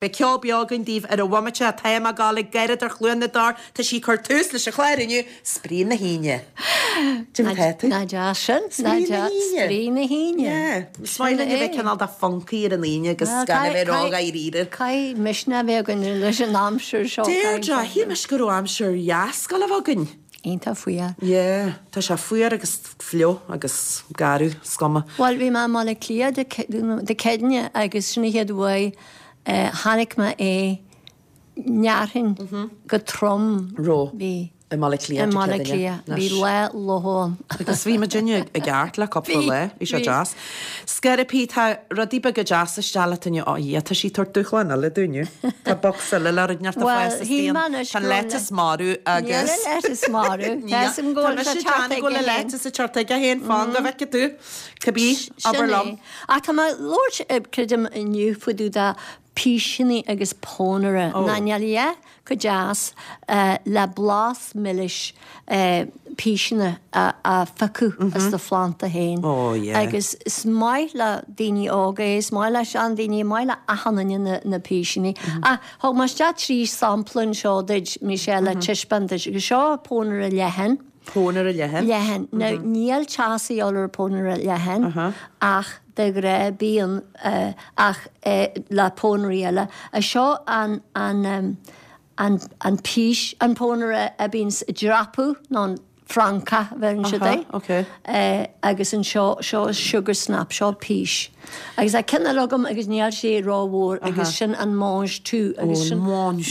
Beidh ceol beo againn daoibh ar an bhomaite. Táim ag gabháil ag gáire ar Chluain na dTor. Tá sí ag cur tús leis an chlár inniu, Spraoi na hAoine. Cad é mar tá tú? Nach deas sin? Spraoi na hAoine. Spraoi na hAoine. Yeah. Is maith linn a bheith cineál de funky ar an Aoine agus gan a bheith ró-dháiríre. Caithfidh misneach a bheith againn leis an aimsir seo. Deirdre, shíl mise go raibh aimsir dheas ag gabháil a bheith againn. Iontach fuar. Yeah, tá sé fuar agus fliuch agus garbh, is cuma. Bhuel, bhí mé i mBaile Átha Cliath Dé Céadaoine agus sin an chéad uair a chonaic mé é ndéarfainn go trom. Raibh. Bhí. I mBaile Átha Cliath I Dé mBaile Átha Céadaoine. Cliath. Bhí lá fhliuch ann. Agus bhí muidinne i gceart le cúpla lá. Bhí sé deas. Scairbí, tá rudaí beaga deasa isteach leat inniu. Ó, a Dhia, tá sí ag tabhairt dúshlán eile dúinn inniu. Tá bocsa eile le rud inteacht ag Bhuel, fás shíl istigh mé ann. anois Tá an go raibh an lettuce marbh Níl agus. an lettuce marbh. Níl. Tá fhios agam go Tá bhfuil mise sé ag teacht déanamh go bhfuil aige an féin. lettuce ag teacht aige féin, fan go bhfeicfidh tú. Cibé, Sin abair é. liom. Ach tá mé ag labhairt, creidim, inniu fá dtaobh de píseanna agus pónaire. Ó. Ná níl a dhath chomh deas le blas milis píseanna a phiocadh as do phlanda féin. Ó yeah. Agus is maith le daoine óga é, is maith le seandaoine, maith le achan duine na píseanna. Ach thug mé isteach 3 sampla anseo duit, Michelle, le taispeáint duit. Agus seo pónaire leathan. Pónaire leathan. Leathan. Now níl teas a dhíobháil ar pónaire leathan ach de ghnáth bíonn ach le pónairí eile. Seo an an an an pís an pónaire a bíonns ag dreapadh nó an francach a bheireann siad air. Agus anseo seo sugar snap seo pís. Agus tá ceann eile agam agus níl sé rómhór agus sin an mange tout agus sin mange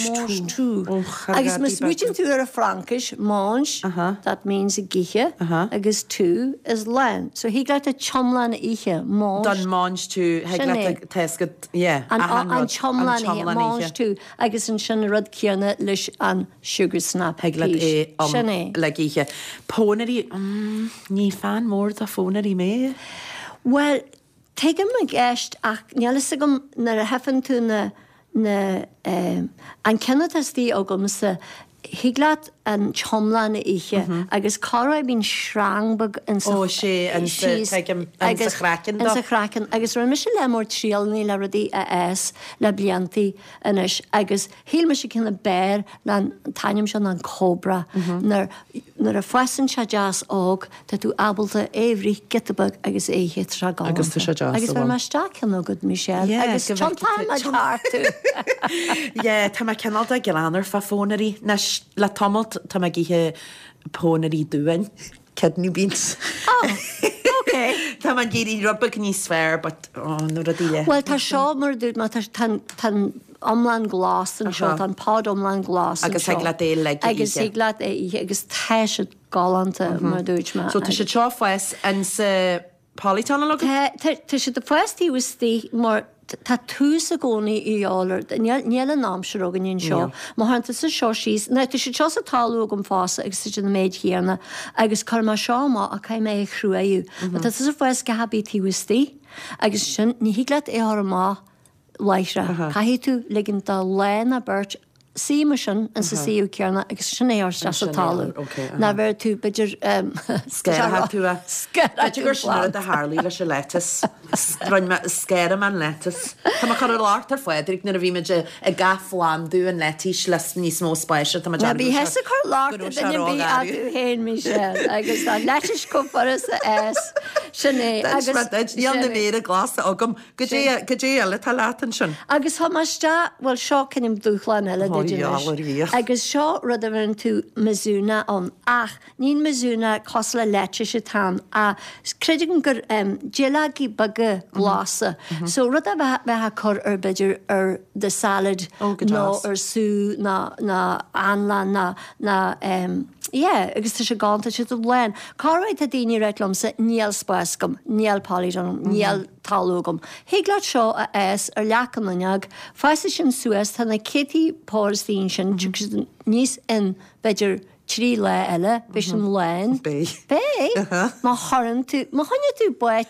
tout. Agus má smaoitíonn tú ar an Fhraincis, mange, that means ag ithe agus tout is lán. So thig leat an t-iomlán a ithe, mange. Don mange tout, thig leat tá a fhios agat, yeah, achan rud, an t-iomlán a ithe, mange tout. Agus ansin an rud céanna leis an sugar snap Thig leat peas. é Sin é. le ithe. Pónairí, mm, ní fan mór de phónairí mé. Bhuel, tuigim an cheist ach níl fhios agam nuair a thifeann tú na, na, eh, an ceann atá istigh agamsa, thig leat an t-iomlán a ithe agus corruair bíonn sreang beag insa, Ó, sé, insa, síos tuigim, insa agus, chraiceann dó. insa chraiceann agus rinne mise lear mór trialacha le rudaí a fhás le bliantaí anois agus shíl mise ceann ab fhearr ná an t-ainm seo ná an Cobra. Nuair nuair a fásann sé deas óg tá tú ábalta é a bhruith giota beag agus é a ithe tá sé galánta. Agus tá sé deas Agus a bheir bhfuil. mé isteach ceann agat Michelle Yeah, agus go bhfeicfidh tiontaíonn tú. muid thart tú. Yeah, tá mé cineál de greannmhar fá phónairí. Anois, le tamalt tá mé ag ithe pónairí duáin. Kidney beans. Oh, ok. Tá mé ag iarraidh rud beag níos fearr but, oh, na rudaí le. Bhuel, tá seo mar a dúirt mé, tá tá an iomlán glas anseo, tá an pod iomlán glas anseo. Agus thig leat é uilig a ithe. Agus thig leat é a ithe agus tá siad galánta mar a dúirt mé. So tá siad seo ag fás insa polytunnel agat? Tá, tá siad ag fás taobh istigh mar tá tús i gcónaí a dhíobháil ar, níl, níl an aimsir againn anseo. Má chuireann tusa seo síos, now tá siad seo sa talamh agam fosta agus tá siad an méid chéanna agus cuirfidh mé seo amach ach caithfidh mé é a chruthaíodh. Má tá tusa ag fás gach ar bith taobh istigh agus sin, ní thig leat é a chur amach láithreach. Caithfidh tú ligint do lá nó beirt suí mar sin insa suíomh céanna agus sin é a chur isteach sa talamh. Ná bheir tú b'fhéidir Scarfaidh tú é. Scarfaidh B'fhéidir gur sin an rud a tharlaigh leis an lettuce. Rinne mé, scarfaidh mé an lettuce. Tá mé ag cur locht ar Phádraig nuair a bhí muid ag athphlandú an leitís le níos mó spáis tá mé Ná bí thusa ag cur locht ar dhuine ar bith ach tú féin, Michelle, agus tá lettuce chomh furasta is. Sin é. D'inis mé duit, níl na méara glasa agam. Goidé, goidé eile atá leat ansin? Agus tá mé isteach, bhuel seo cineál dúshlán eile Ó, duit anois. gheall ar Dhia. Agus seo rud a bheireann tú mizuna ann, ach níl mizuna cosúil le leitís atá ann, ach creidim gur duilleogaí beaga glasa. So rud a bheith, bheith á cur ar b'fhéidir ar do salad Ó, go nó deas. ar sú nó, nó anlann nó, nó yeah, agus tá sé galánta, tá siad lán. Corruair tá daoine ag ráit liomsa níl spás agam, níl polytunnel, níl. talamh agam. Thig leat seo a fhás ar leac an fhuinneog, fásfaidh sin suas, tá na céadtaí pór istigh ansin, tiocfaidh siad aníos in, b'fhéidir, 3 lá eile, beidh sin lán. Beidh. Beidh! Má chuireann tú, má choinneoidh tú báit.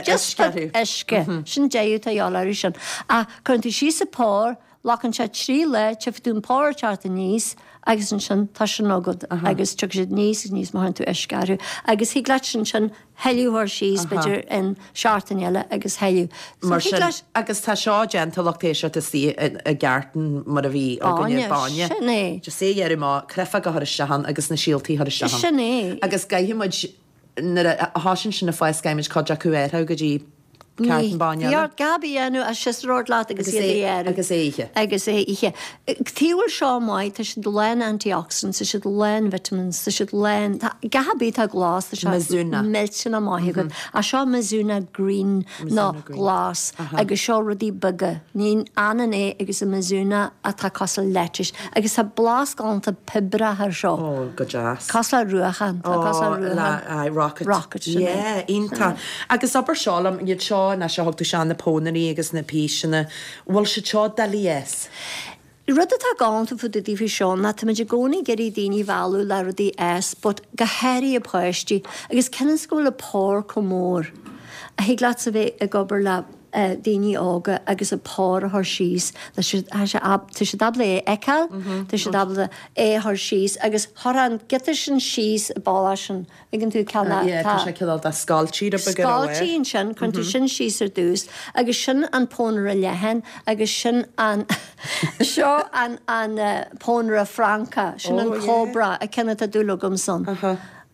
Just beag uisce. Sin deireadh atá a dhíobháil orthu sin. Ach cuireann tú síos an pár, Glacann sé 3 lá, tchífidh tú an pár ag teacht aníos agus ansin tá sin agat agus tiocfaidh siad aníos agus aníos má chuireann tú uisce orthu agus thig leat sin sin thuilleadh a chur síos b'fhéidir in seachtain eile agus thuilleadh. So Mar sin, leat agus tá seo déanta lucht éisteachta istigh i gcarton mar a bhí againne, bainne, sin é. Just é a ghearradh amach, créafóg a chur isteach ann agus na síoltaí a chur isteach ann. Sin é. Agus caithfidh muid Nuair a thosaíonn sin ag fás caithfidh muid cuid acu a athrú go dtí carton bainne eile. Bhí ort gab a dhéanamh as siosarord leat agus iad a ghearradh. Agus é a ithe. Agus é a ithe. Tuige a bhfuil seo maith, tá siad lán antioxidants, tá siad lán vitamins, tá siad lán, tá gach ar bith atá glas, tá sé Mizuna. millteanach maith agat. Ach seo Mizuna green nó glas agus seo rudaí beaga. Ní ionann é agus an Mizuna atá cosúil le lettuce. Agus tá blas galánta piobrach ar seo. Oh, go deas. Cosúil le ruachán. Tá cosúil le ruachán. Aye, rocket. Rocket, sin é. Yeah, iontach. Agus abair seo liom, iad seo, ná seo thug tú seo na pónairí agus na píseanna, bhfuil siad seo doiligh a fhás? Rud atá galánta fá dtaobh daofa seo ná táimid i gcónaí ag iarraidh daoine a mhealladh le rudaí a fhás but go háirithe páistí agus cionn is go bhfuil an pár chomh mór thig leatsa bheith ag obair le daoine óga agus an pár a chur síos tá siad tá siad ábalta é a fheiceáil tá siad ábalta é a chur síos agus chuir an giota sin síos i bpálás sin Tuigeann tú ceann a Yeah, tá sé cineál de scoiltí rud beag ar a Scoiltí ansin, cuireann tú sin síos ar dtús agus sin an pónaire leathan agus sin an seo an an pónaire Francach, sin an cobra, an ceann atá dúil agam san.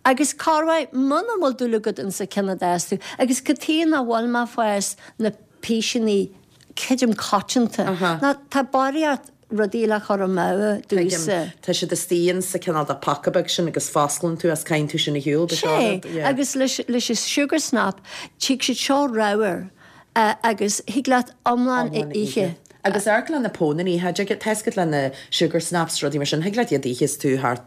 Agus corruair muna bhfuil dúil agat insa ceann a d'fhás tú agus cad chuige nach bhfuil mé ag fás na píseanna creidim coitianta ná tá barraíocht rudaí le cur amú domhsa. Tá siad istigh in sa cineál de paca beag sin agus fosclann tú as caitheann tú sin ar shiúl, ba seo rud, yeah. Agus leis leis an sugar snap tig siad seo ramhar agus thig leat iomlán a ithe. Agus amharc le na pónairí, tá a fhios agat le na sugar snaps rudaí mar sin, thig leat iad a ithe is tú thart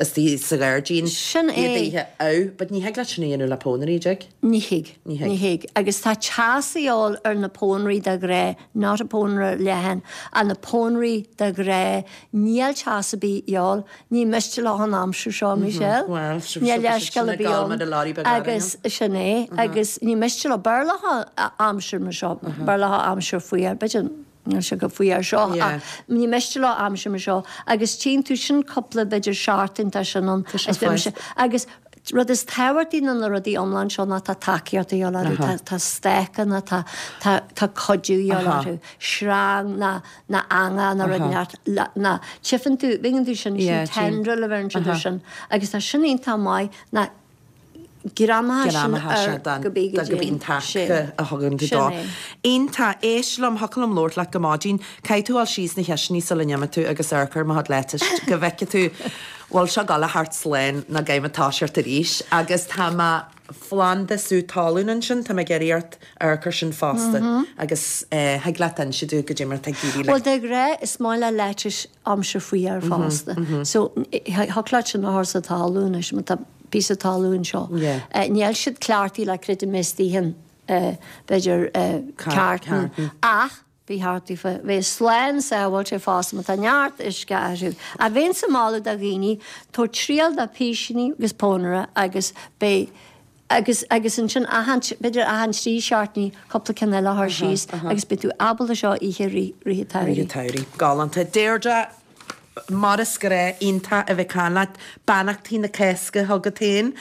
istigh sa ghairdín, Sin iad a é. ithe oh, but ní thig leat sin a dhéanamh le pónairí, dtig? Ní thig. Ní thig. Ní thig. Agus tá teas a dhíobháil ar na pónairí de ghnáth, not a pónaire leathan, ach na pónairí de ghnáth, níl teas ar bith a dhíobháil, ní miste leo an aimsir seo, Michelle. Bhuel, Níl leithscéal ar bith ann. Agus sin é. Agus ní miste leo, b'fhearr leo aimsir mar seo, b'fhearr leo aimsir fuar, b'fhéidir. Níl sé chomh fuar seo ach ní miste leo aimsir mar seo agus tchíonn tú sin cúpla b'fhéidir seachtain tá sin ann is beidh mise agus rud is tábhachtaí ná na rudaí iomlán seo ná tá tacaíocht a dhíobháil orthu tá tá stácanna tá tá tá cuidiú a dhíobháil orthu sreang ná ná eangach ná rud neart ná tchífeann tú bíonn tú sin sin tendril a bheireann siad air sin agus tá sin iontach maith ná Greamaithe sin ar go bí go dtí an taca a thugann tú dó. Iontach. Éist liom, thiocfadh liom labhairt leat go maidin. Caithfidh tú dul síos na cistiní sula n-imigh tú agus amharc ar mo chuid lettuce go bhfeicfidh tú bhfuil seo ag dul a theacht slán nó go mbeidh mé ag toiseacht arís. Agus tá mo phlanda sú talún ansin, tá mé ag iarraidh ort amharc air sin fosta. Agus thig leat inse domh goidé mar atá ag éirí leis. Bhuel, de ghnáth is maith le lettuce aimsir fuar fosta. So, thiocfadh leat sin a chur sa talún anois má tá píosa talún seo. Níl siad cleachtaithe le creidim istigh in, b'fhéidir, carton ach ba cheart daofa bheith slán sábháilte fosta má tá neart uisce orthu. Ach bheinnse ag moladh do dhaoine tabhairt triail do písíní agus pónaire agus beidh agus agus ansin achan b'fhéidir achan 3 seachtainí cúpla ceann eile a chur síos agus beidh tú ábalta seo a ithe rith rith an tsamhraidh. Rith an tsamhraidh. Galánta. Deirdre, mar is gnách, iontach a bheith ag caint leat. Beannachtaí na Cásca chugat féin.